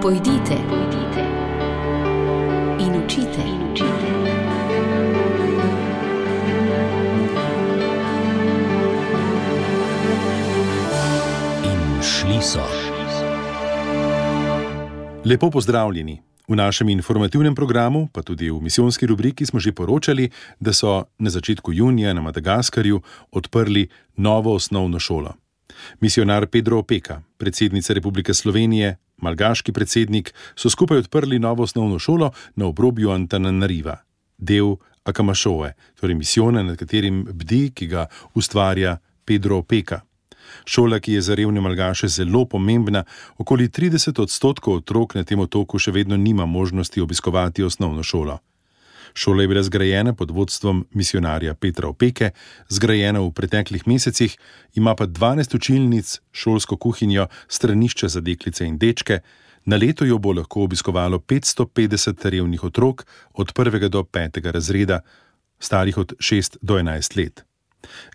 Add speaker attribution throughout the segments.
Speaker 1: Pojdite in učite.
Speaker 2: In šli so.
Speaker 3: Lepo pozdravljeni. V našem informativnem programu, pa tudi v misijonski rubriki smo že poročali, da so na začetku junija na Madagaskarju odprli novo osnovno šolo. Misionar Pedro Opeka, predsednica Republike Slovenije, malgaški predsednik, so skupaj odprli novo osnovno šolo na obrobju Antananariva, del Akamašoe, torej misijona, nad katerim bdi, ki ga ustvarja Pedro Opeka. Šola, ki je za revne malgaše zelo pomembna, okoli 30% otrok na tem otoku še vedno nima možnosti obiskovati osnovno šolo. Šola je bila zgrajena pod vodstvom misionarja Petra Opeke, zgrajena v preteklih mesecih, ima pa 12 učilnic, šolsko kuhinjo, stranišče za deklice in dečke. Na leto jo bo lahko obiskovalo 550 revnih otrok od 1. do 5. razreda, starih od 6 do 11 let.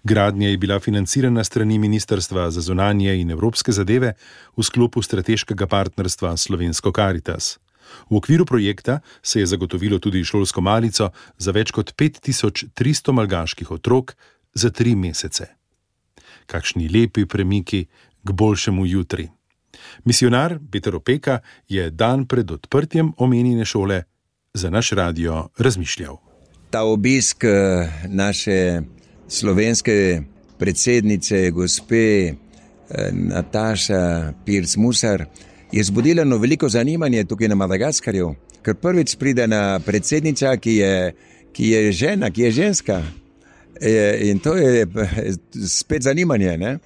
Speaker 3: Gradnja je bila financirana strani Ministrstva za zunanje in evropske zadeve v sklopu strateškega partnerstva Slovensko Karitas. V okviru projekta se je zagotovilo tudi šolsko malico za več kot 5300 malgaških otrok za 3 mesece. Kakšni lepi premiki k boljšemu jutri. Misionar Peter Opeka je dan pred odprtjem omenjene šole za naš radio razmišljal.
Speaker 4: Ta obisk naše slovenske predsednice, gospe Nataša Pirc-Musar, je zbudila veliko zanimanje tukaj na Madagaskarju, ker prvič pride na predsednica, ki je žena, ki je ženska. In to je spet zanimanje, ne?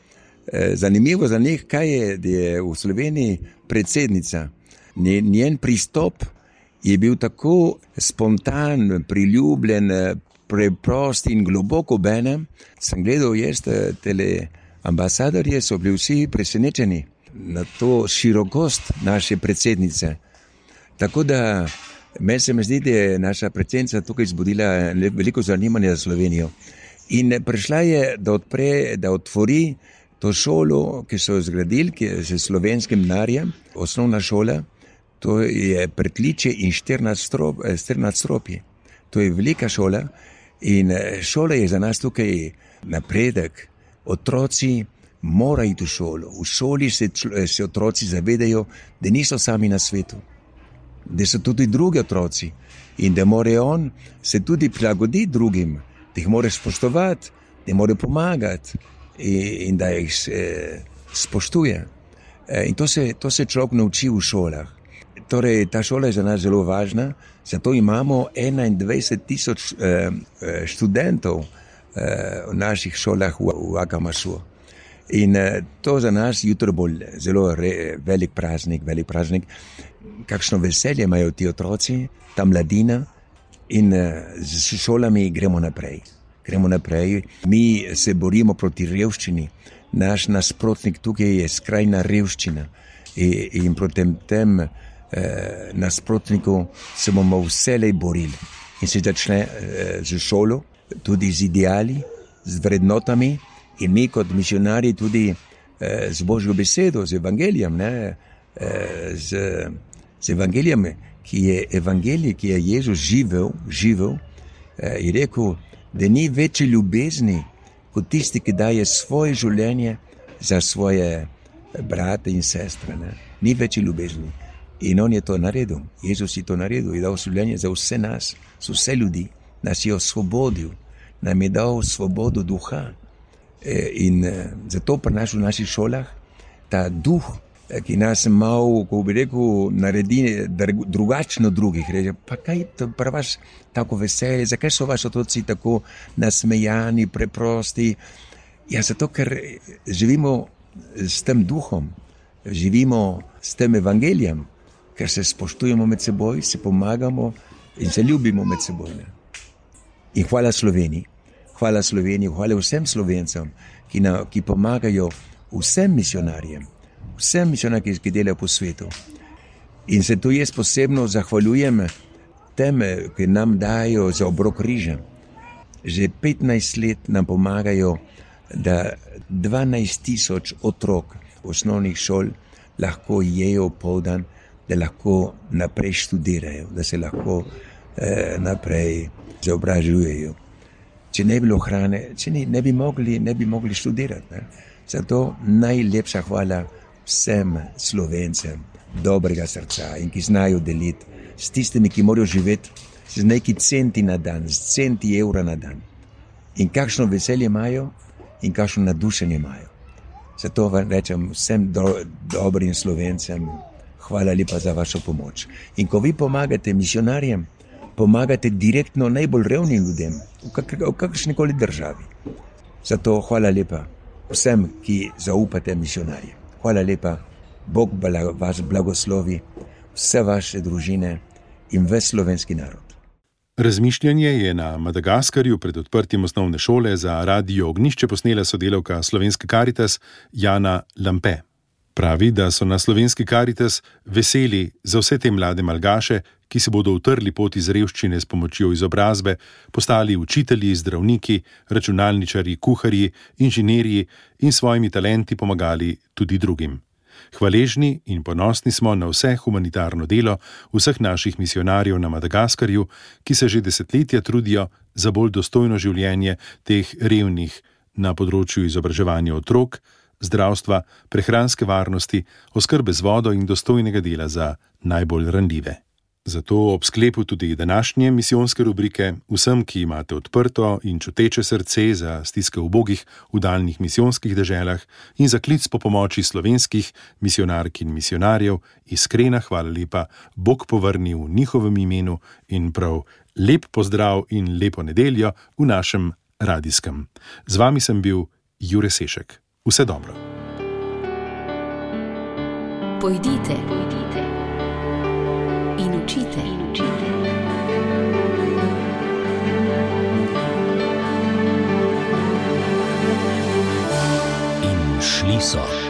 Speaker 4: Zanimivo za njih, kaj je v Sloveniji predsednica. Njen pristop je bil tako spontan, priljubljen, preprost in globoko obenem. Sem gledal ambasadorje, so bili vsi presenečeni na to širokost naše predsednice. Tako da meni se mi zdi, da je naša predsednica tukaj zbudila veliko zanimanja za Slovenijo. In prišla je, da otvori to šolo, ki so jo zgradili, ki je s slovenskim denarjem, osnovna šola. To je pritličje in 14 nadstropji. To je velika šola in šola je za nas tukaj napredek. Otroci morajo iti v šolo. V šoli se otroci zavedajo, da niso sami na svetu, da so tudi drugi otroci in da morajo on se tudi prilagoditi drugim, da jih morajo spoštovati, da jim morajo pomagati in da jih spoštuje. In to se človek nauči v šolah. Torej, ta šola je za nas zelo važna, zato imamo 21,000 študentov v naših šolah v Akamašu. In to za nas jutro bo zelo velik praznik. Kakšno veselje imajo ti otroci, ta mladina, in z šolami gremo naprej. Mi se borimo proti revščini. Naš nasprotnik tukaj je skrajna revščina in proti tem nasprotniku se bomo vselej borili. In se začne z šolo, tudi z ideali, z vrednotami, in mi kot misionarji tudi z Božjo besedo, z evangelijem, z evangelijem, ki je Jezus živel, je rekel, da ni večje ljubezni kot tisti, ki daje svoje življenje za svoje brate in sestre. Ne? Ni večje ljubezni. In on je to naredil. Jezus je to naredil. Je dal življenje za vse nas, za vse ljudi. Nas je osvobodil. Nam je dal svobodo duha. In zato prinaša v naših šolah ta duh, ki nas malo, ko bi rekel, naredi drugačno drugih. Reče, pa kaj to pri vas tako veselje? Zakaj so vaši otroci tako nasmejani, preprosti? Ja, zato, ker živimo s tem duhom, živimo s tem evangelijem, ker se spoštujemo med seboj, se pomagamo in se ljubimo med seboj. In hvala Sloveniji, hvala vsem Slovencem, ki pomagajo vsem misionarjem, ki delajo po svetu. In se tu jaz posebno zahvaljujem tem, ki nam dajo za obrok riža. Že 15 let nam pomagajo, da 12,000 otrok osnovnih šol lahko jejo poldan da lahko naprej študirajo, da se lahko naprej izobražujejo. Če ne bi bilo hrane, ne bi mogli študirati. Ne? Zato najlepša hvala vsem Slovencem dobrega srca in ki znajo deliti s tistimi, ki morajo živeti z neki centi na dan, z centi evra na dan. In kakšno veselje imajo in kakšno nadušenje imajo. Zato vam rečem vsem dobrim Slovencem, hvala lepa za vašo pomoč. In ko vi pomagate misionarjem, pomagate direktno najbolj revnim ljudem v kakršnikoli državi. Zato hvala lepa vsem, ki zaupate misionarjem. Hvala lepa, Bog vas blagoslovi, vse vaše družine in ves slovenski narod.
Speaker 3: Razmišljanje je na Madagaskarju pred odprtjem osnovne šole za Radio Ognjišče posnela sodelavka Slovenske Karitas Jana Lampe. Pravi, da so na Slovenski Karitas veseli za vse te mlade malgaše, ki se bodo utrli pot iz revščine s pomočjo izobrazbe, postali učitelji, zdravniki, računalničarji, kuharji, inženirji in svojimi talenti pomagali tudi drugim. Hvaležni in ponosni smo na vse humanitarno delo vseh naših misionarjev na Madagaskarju, ki se že desetletja trudijo za bolj dostojno življenje teh revnih na področju izobraževanja otrok, zdravstva, prehranske varnosti, oskrbe z vodo in dostojnega dela za najbolj ranljive. Zato ob sklepu tudi današnje misijonske rubrike vsem, ki imate odprto in čuteče srce za stiske ubogih v daljnih misijonskih deželah in za klic po pomoči slovenskih misionark in misionarjev, iskrena hvala lepa, Bog povrni v njihovem imenu in prav lep pozdrav in lepo nedeljo v našem radijskem. Z vami sem bil Jure Sešek. Vse dobro.
Speaker 1: Pojdite in učite. In šli so.